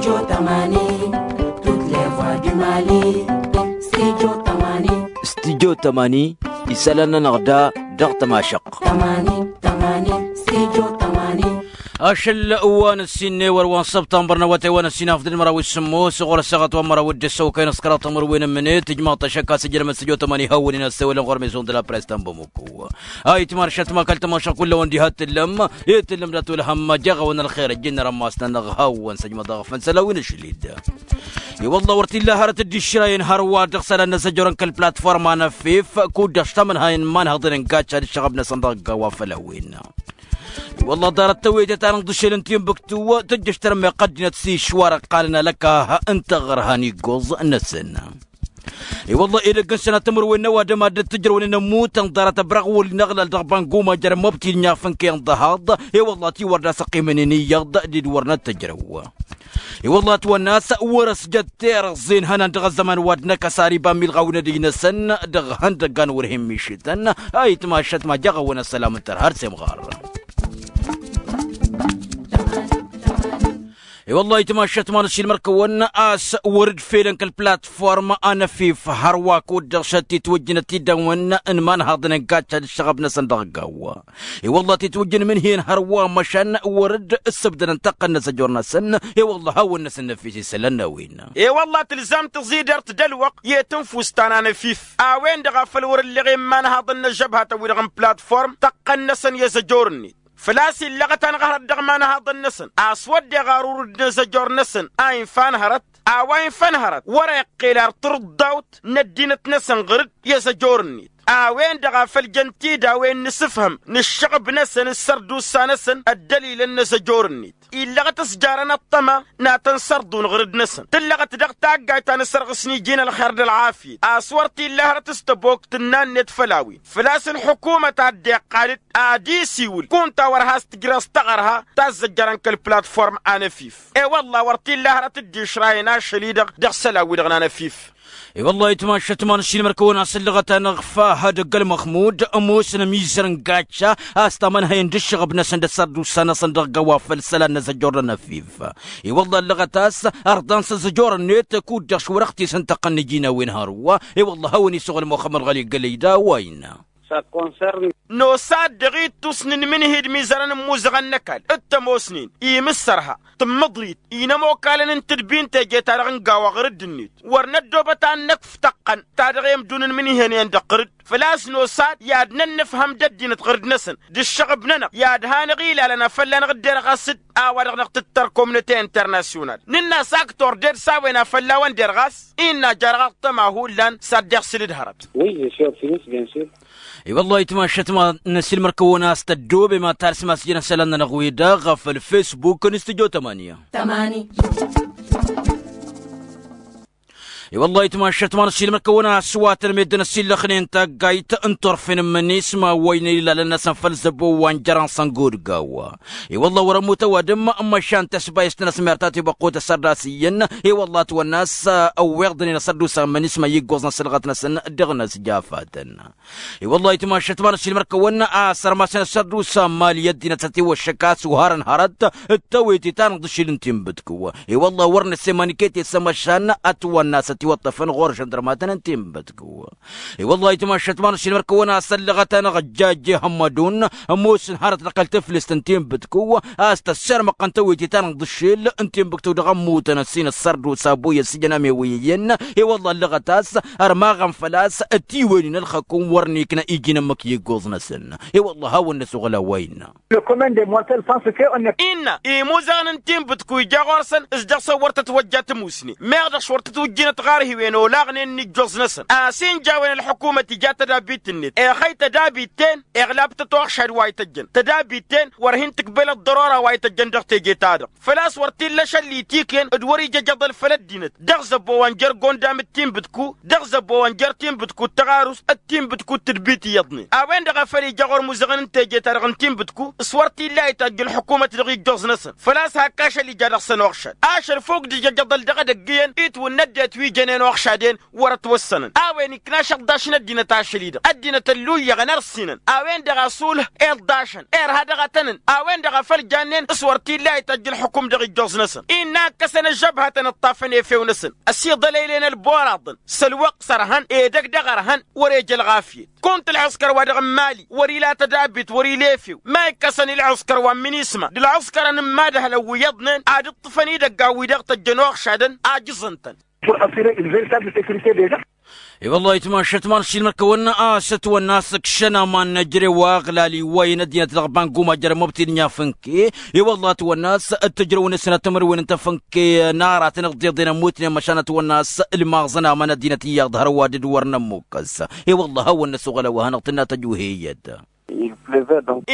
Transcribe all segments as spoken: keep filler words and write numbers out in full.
Studio tămani. Studio tămani. Isălan-nănăɣ da dăɣ-tămašăɣt. Ašăl wa n-ăssinne wăr wa n-săbtănbăr n-awătay wa n-ăssin afdǝl măraw s-sǝmmos ɣur-ăssaɣăt wa n-măraw d-ăssăwkăy n-ăskăraḍ tămărwen n-mǝnet tǝjmaḍ-t ašăk a-s ǝjrămăt studio tămani hawăn-in ăssewălăn ɣur-mizon d-la press ta n-bamuk. Ayǝtmar šătma kăl-tămašăɣ kull-awăn diha t-tǝllăm. I-tǝllăm dat-wălhăm jaɣ-awăn ălxer ăjjin n-rămas-nănăɣ hawăn-săjmăḍ aɣfăn săl-a-wen ašlid. I-wălla wăr t-illa hărăt dd-išrayen hărwa dăɣ-isălan n-azăjorăn kăl-platforma n-afif kud-dăɣ s-tamănhayăn n-imanhăḍăn n-gacca d-ǝššăɣăb-năsăn dăɣ-ăgg-a-wa făll-a-wen. I-wălla ḍarăt tăwete ta n-inḍǝšel n-tinbǝktu tǝjjăš tărmeɣ ăddinăt s-išwar ăqqalăn alăkah n-taɣărha n-iggoẓ-năsăn. I-wălla edăgg n-sănatămăr-wen n-ăwadǝm ad-dd-tǝjrăwnen ămmutăn ḍarăt ăbraɣ wăl-năɣlal dăɣ-bănguma jer-măbti d-nafǝnkăyăn dăhaḍ. I-wălla tiwăr d-asăqqimăn-in iyyăḍ d-dd-wăr n-ad-tǝjrăw. I-wălla ătwănna a-s wăr-ăsjăt terăẓẓe n-ihănan dăɣ-ăzzăman wa d-năkăs ar iba n-milɣaw n-edăj-năsăn dăɣ-ihăndăgga n-wăr hin-mišǝtăn. Ayǝtma ašăt ma jaɣ-awăn ăssălam n-tărha ar s-imɣar. I-wălla ayǝtma ašăt ma n-ăššilmăr-kăwăn a-s wăr-dd felăn kăl-platform anăfif hărwa kud-dăɣ šăt titwǝjjǝnăt tidawăn n-imanhaḍăn n-gacca d-ǝššăɣăb-năsăn dăɣ-gaw. I-wălla titwǝjjǝn mǝnhǝyăn hărwa măšan wăr-dd ǝssǝbdădăn tăqqăn n-azăjor-năsăn. I-wălla hawăn-năsăn năfis isălan n-a-wen. I-wălla tǝlzam tǝẓidert d-ălwăqq i-tǝnfust ta n-anăfif a-wen-dăɣ a făl wăr-ǝlleɣ i-imanhaḍăn n-ăžžăbhat ăwwi-dăɣ n-platform tăqqăn-năsăn i-azăjor-net. Făl-a-s illăɣăt-anăɣ hărăt dăɣ-imanhaḍăn-năsăn a-s wădden ɣar urǝd n-azăjor-năsăn a infa n-hărăt. A-wa infa n-hărăt wăr-e iqqel ar tǝrǝḍḍawt n-ăddinăt-năsăn ɣur-dd i-azăjor-net. A-wen-dăɣ a făl jăn tidawen n-asǝfhǝm n-ǝššăɣb-năsăn d-sărdusa-năsăn ăddălilăn n-azăjor-net. Illăɣăt s-jarăn ăṭṭăma n-ad-tăn-sărḍun ɣur-dd-năsăn tǝllăɣăt dăɣ-taggayt ta n-asărɣǝs n-iji n-ălxer d-ălɣafyăt a-s wăr t-illa hărăt s-tăbokt tǝnna-net făll-a-wen. Făl-a-s ălḥukumăt a dd-iqqal-dd ad-isiwǝl kunta wăr has-tǝjreẓ taɣărha ta ăzzăjjărăn kăl-platform anăfif. E-wălla wăr t-illa hărăt dd-išrayăn ašăl-i-dăɣ dăɣ-isălan-wi-dăɣ n-anăfif. I-wălla ayǝtma ašăt ma n-ašilmăr-kăwăn a-s ǝllăɣăt-anăɣ fahăd ăgg-ălmăxmud ămoosăn ămizăr n-gacca a-s tamănhăyăn d-ǝššăɣăb-năsăn d-asărdusa-năsăn dăɣ-gawa făll-isălan n-azăjjor n-anăfif. I-wălla ăllăɣăt a-s ărḍan s-azăjor-net kud-dăɣ šwăr-ăɣ t-isǝntăqqăn n-iji n-a-wen hărwa. I-wălla a hawăn-isuɣǝl muxămmăd ɣăli gălăy d-a-wa innă. Nos-ad-dăɣ-ittus n-inmǝnhǝy d-imizărăn n-imuzăɣăn n-ăkall d-tămoosnen imǝssărha tǝmmǝḍrit inămokalăn n-tǝdbi n-teje-ta-dăɣ n-gawa ɣur-dd-net. Wăr năddoobăt ad-năkf tăqqăn ta dăɣ-emdun n-imǝnhǝyăn-en-dăɣ ɣur-dd. Făl-a-s nos-ad i-ad-nănnǝfhăm d-ăddinăt ɣur-dd-năsăn d-ǝššăɣǝb-nănăɣ i-ad-han-ăɣ ilalăn a fălla-năɣ dd-erɣas-dd a-wa-dăɣ-năɣ tǝttăr komnăte internasyonal. Nǝnn'-as aktor ded s-a-wen a fălla-wăn derɣas innă jarɣaḍ-tăn ma hullan s-ad-dd-iɣsǝl d-hărăt. I-wăllah ayǝtma ašăt ma n-asilmăr-kăwăn a-s tăddoobem ad-talsǝm a-s jăn isălan-nănăɣ-wi-dăɣ ɣef ălfesbuk n-studyo tămani. I-wăllah ayǝtma ašăt ma n-asilmăr-kăwăn a-s wa tăn-meddǝn ăsillăxnen taggayt n-turfen n-imǝnisma wa ǝynan ilalăn-năsăn făll-zăbo wa n-jărăn săngod gawa. I-wălla wăr-ămmut ăwadǝm măšan tăsbayǝst-năsmert a tibăqqut ăssărdas iyyăn. I-wălla ătwănna a-s ăwweḍnen asărdusa n-imǝnisma i-iggoẓ n-asǝlɣăt-năsăn dăɣ-inăsjafatăn. I-wălla ayǝtma ašăt ma n-asilmăr-kăwăn a-s ărmasăn asărdusa n-imali i-ăddinăt s-ătiwăššăk a-s uharăn hărăt d-tawete ta n-iḍǝšil n-tinbǝdkǝw. I-wălla wăr năssemăn iket i-sămăšan ătwănna a-s ătiwăṭṭăfăn ɣur-žăndrămatăn n-tinbǝdkǝw. I-wălla ayǝtma ašăt ma n-asilmăr-kăwăn a-s ăllăɣăt-anăɣ ăjjajje hămmădun ămoosăn hărăt dăɣ-kăl-tǝflǝst n-tinbǝdkǝw a-s tăssermăqqăn tawete ta n-iḍǝšil n-tinbǝdkǝw dăɣ-ămmutăn ăssin ăssărdusa ăbuyăs ijăn amewăyăyăn. I-wălla ăllăɣăt a-s ărmaɣăn făl-a-s ătiwăynen ălxăkum wăr nikna iji n-ǝmmǝk i-iggoẓ-năsăn. I-wălla a hawăn-năsuɣǝl a-wa innă. Innă imuzăɣăn n-tinbǝdku ija ɣur-săn s-dăɣ-săn wăr tătwăjja tămusne meɣ dăɣ-s wăr tătwǝjjǝnăt ɣarhiwen olaɣnen n-ijjoẓ-năsăn a-s injawen ălḥukumăt ija tădabit-net exăy tădabit-ten. Iɣlab-tăt uɣšad wa ităjjăn tădabit-ten wăr hin-tǝkbel ăḍḍărora wa ităjjăn dăɣ-teje-ta-dăɣ. Făl-a-s wăr t-illa ašăl itikǝyăn d-wăr-ija ijăḍăl făll-ăddinăt dăɣ-zăbbo wa n-jer-gondam d-tinbǝdku dăɣ-zăbbo wa n-jer-tinbǝdku d-tăɣarust d-tinbǝdku d-tǝdbit iyyăḍnen. A-wen-dăɣ a făl ija ɣur-imuzăɣăn n-teje-ta-dăɣ n-tinbǝdku s-wăr t-illa a itajj ălḥukumăt dăɣ-ijjoẓ-năsăn făl-a-s hak ašăl ija dăɣ-săn uɣšad ašăl fok d-ija ijăḍăl dăɣ-edăgg iyyăn itwǝnna ăddinăt wi. ǝjjănen oxšaden wăr-ătwăssănăn a-wen ikna ašăḍḍaš n-ăddinăt ašăl-i-dăɣ ăddinăt ălluyyăɣăn ărsinăn a-wen-dăɣ a sulh. Iḍḍašăn irha dăɣ-atănăn a-wen-dăɣ a făl jannen s-wăr t-illa a ităjj ǝlxǝkum dăɣ-ijjoẓ-năsăn innă ǝkkăsăn ăžžăbhătăn ǝṭṭafăn efew-năsăn. Ăsiḍălăylen ălboraḍăn s-ălwăqq s-ărhăn edăgg dăɣ-ărhăn wăr-eja ălɣafyăt. Kunta ălɣǝskăr-wa-dăɣ n-mali wăr-ila tădabit wăr-ila efew ma ikkăsăn i-ălɣǝskăr wa n-minisma d-ălɣǝskărăn n-imadhălăn wi iyyăḍnen ad-ǝṭṭǝfăn idăgg a-wi-dăɣ tăjjăn oxšadăn a jǝẓăn-tăn. Pour assurer une véritable sécurité des gens. I-wăllah itmašăt ma n-ašilmăr kăwăn-as ătwănna a-s ǝkšăn aman n-ejărew aɣlal iwwayăn ăddinăt dăɣ-banguma jărămăbtid n-inyafǝnke. I-wăllah ătwănna a-s ăttăjrăwăn ăssinat timǝrwen n-tafǝnke n-aratăn ǝḍḍeḍen ămmutnen măšan ătwănna a-s ǝlmaẓăn aman ăddinăt iyyăḍ hărwa d-dd-wăr nămmukăs. I-wăllah hawăn-năsoɣăl a-wa hanăɣ-tǝnna tăjuheyăt.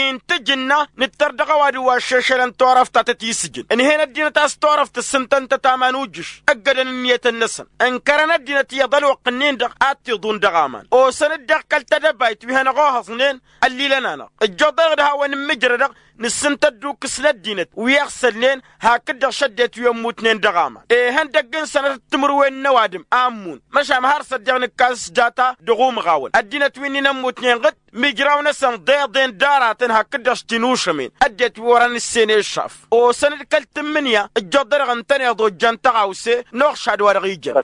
Intǝj ǝnna nǝttăr dăɣ-ăwadǝm wa ăššešălăn turăft ta tăt-isǝjǝn ǝnhen ăddinăt a-s turăft ǝssǝntăn-tăt aman ujǝš ǝggădăn ǝnniyătăn-năsăn. Ǝnkărăn ăddinăt iyyăḍ ălwăqq-ǝnnin-dăɣ ad-t-iḍun dăɣ-aman osăn-dd dăɣ-kăl-tedăbayt wi hanăɣ-ohăẓnen. Ăllilăn-anăɣ ǝjjoḍănăɣ d-hawăn-immǝjrădăɣ nǝssǝntăt d-ukǝs n-ăddinăt wi ăɣsălnen hakd-dăɣ šăddet wi ămmutnen dăɣ-aman. Ihăndăgg n-sănătăt timǝrwen n-ăwadǝm a ǝmmun măšan har s-ăddiɣ nǝkkas s-data dăɣ-umɣawăn ăddinăt wi-nin ămmutnen ɣǝd mijraw-năsăn ḍeḍen d-aratăn hakd-dăɣ s-tinušămen ăddinăt wi wăren ǝssen i-ăššaf. Osăn-dd kăl-tǝmmǝnǝya ǝjjoḍănăɣ ǝntăneḍ ojjan tăɣawse n-oxšad wa dăɣ-ijăn.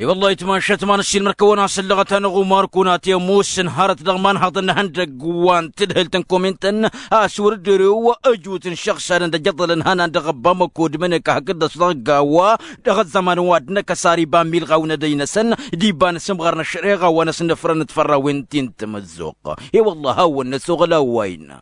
I-wăllah itmašăt ma n-ašilmăr kăwăn-asăllăɣăt-anăɣ umar kunat i-ămoosăn hărăt dăɣ-imanhăḍăn n-ihăndăgg wa n-tadhǝlt n-komin-tăn a-s wăr-dd-erew ăjut n-išăɣsadăn d-ăjăḍălăn ihănan dăɣ-ăbba măkod măneka hakd-dăɣ s-dăɣ-ăggawa. Dăɣ-ăzzăman wa d-năkk ăsar iba n-milɣaw n-edăy-năsăn d-iba n-asǝmɣăr n-ăššăreɣa wa n-asǝnnăfrăn d-fărrawen ti n-tamăzzuɣt. I-wăllah hawăn-năsoɣăl a-wa innă.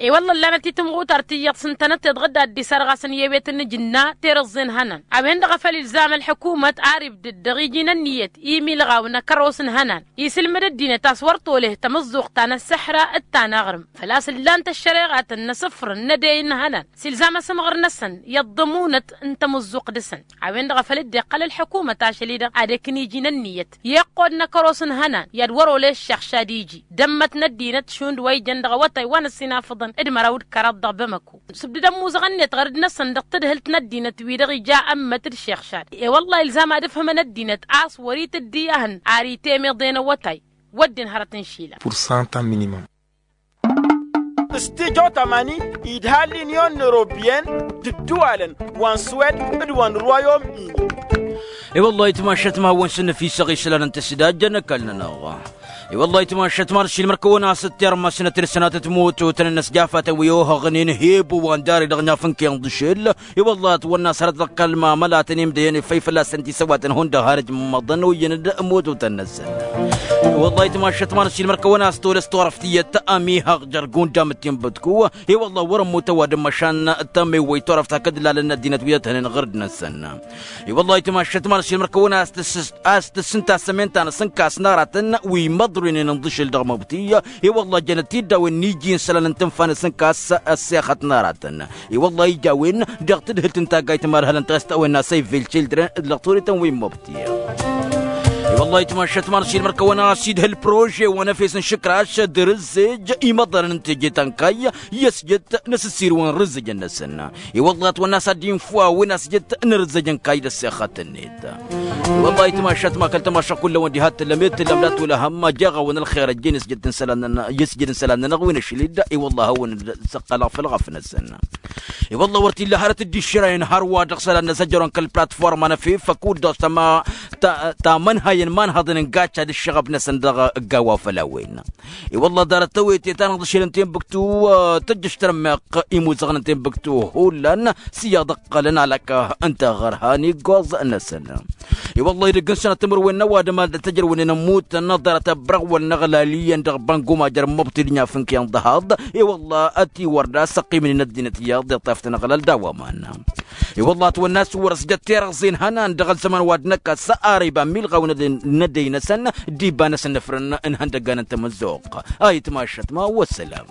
I-wălla ǝllanăt-i tǝmɣutar ti iyyăḍ s-ǝntănăt tiḍɣǝd ad-dd-isărɣasăn i-ewet n-ajǝnna tirǝẓẓe n-ihănan a-wen-dăɣ a făl ilzam ălḥǝkumăt ar ibdǝd dăɣ-iji n-ǝnniyăt i-imilɣaw n-akăros n-ihănan isǝlmǝd ăddinăt a-s wăr tolăh tamǝzzuɣt ta n-ăssăḥra d-ta n-aɣrǝm. Făl-a-s ǝllan-t ăššăreɣatăn n-asǝfrăn n-edăy n-ihănan s-ilzam asǝmɣăr-năsăn i-ăḍḍămunăt n-tamǝzzuɣt dăɣ-săn. A-wen-dăɣ a făl dd-iqqăl ălḥăkumăt ašăl-i-dăɣ ad-ekăn iji n-ǝnniyăt i-iqqod n-akăros n-ihănan i-ad-wăr-olăy ăššăɣšad iji d-ămmăt n-ăddinăt šund wa ijăn dăɣ-awătay wa n-ăssinafăḍăn d-măraw d-kăraḍ dăɣ-bamăko. Sǝbdǝd ămmuẓăɣ-net ɣărăd-năsăn dăɣ-tadhǝlt n-ăddinăt wi-dăɣ ija ămmăt d-šeɣšad. I-wălla ilzam ad-ǝfhǝmăn ăddinăt a-s wăr-itǝddi ahǝn ar itemiḍen awătay. Wădden hărăt n-išilan. Pur santa minimum. S-tijo tamani idha l-inyon n-eropyen d-ǝddǝwalăn wa n-swed d-wa n-rwayom-ini. I-wăllah itmašăt ma hawăn-sǝnnăfisăɣ isălan n-tǝsdajjăn ăkall-nănăɣ. I-wăllah itmašăt ma n-ašilmăr kăwăn-asǝttermăsnăt d-sănatăt mototăn n-ăsjafatăn wi ohăɣnen hebo wa n-dare dăɣ-nafǝnken d-ašel. I-wăllah ătwănna s-hărăt dăɣ-kăl-mamălatăn imdăyăn ifăy fălla-săn tisăwatăn hundăɣ har ǝjmăḍăn oyyăn d-mototăn-năsăn. I-wăllah itmašăt ma n-ašilmăr kăwăn-as tolăs turăft iyyăt ămihăɣ jer-gundam d-tinbǝtku. I-wăllah wăr-ămmut ăwadǝm măšan tămewwăy turăft hakd lalăn n-ăddinăt wi ăthănen ɣǝrǝd-năsăn. I-wăllah itmašăt ma n-ašilmăr kăwăn-as tǝssǝs a-s tǝssǝnta sămenta n-asǝnkas n-aratăn wi măḍrǝwnen ǝnḍǝšǝl dăɣ-măbti. I-wăllah jănăt-dd a-wen n-iji n-isălan n-tǝnfa n-asǝnkas ăssexăt n-aratăn. I-wăllah ija a-wen dăɣ-tadhǝlt n-taggayt ma d-hălăn tăɣest a-wen n-asăy vilchildren d-lăɣturităn wi n-măbti. I-wăllah itmašăt ma n-ašilmăr kăwăn-as idhǝl prože wa n-efes n-išǝkraš d-rǝzzej imăḍărăn n-teje ta n-kayy i-ăsjăt n-asǝssir wa n-rǝzzejăn-năsăn. I-wăllah ătwănna a-s ad-dd-infǝw a-wen asjăt n-rǝzzăj n-kayy d-ăssexăt-net. I-wăllah itmašat ma kăl-tămašăk kull-a-wen diha t-tǝllăm i-t-tǝllăm d-ad-t-olăhăm jeɣ-awăn ălxer ăjjeen i-asjăt n-isălan-nănăɣ wi n-ašlid. I-wăllah a hawăn-dd-săqqălăɣ făll-ɣăf-năsăn. I-wăllah wăr t-illa hărăt dd-išrăyăn hărwa dăɣ-isălan-năsăn jărăn kăl-platforma n-efef ăkudd-dăɣ tamănhayăn imanhăḍăn n-gacca d-ǝššăɣăb-năsăn dăɣ-ăgg-a-wa făll-a-wen. I-wălla ḍarăt tawete ta n-aḍǝšel n-tenbǝktu tǝjjǝš tărmeɣ imuzăɣăn n-tenbǝktu hullan s-iyyăḍ ǝqqălăn alăk n-taɣărha n-iggoẓ-năsăn. I-wălla idăgg n-sănăt timǝrwen n-ăwadǝm ad-tăjrăwnen ămmutăn ḍarăt ăbrăɣwăl n-aɣlal iyyăn dăɣ-bănguma jer-măbtǝd n-inyafǝnken d-ăhaḍ. I-wălla ătiwăr d-asăqqimnen ăddinăt iyyăḍ iṭṭaftăn aɣlal d-a-wa iman. I-wălla ătwănna a-s wăr-ăsjăt tirăẓẓe n-ihănan dăɣ-ăzzăman wa d-năkk a-s ara iba n-milɣaw n-edăy-năsăn d-iba n-asǝnnăfrăn n-ihăndăggan n-tamăzzuɣt. Ayǝtmašăt ma wăssălam.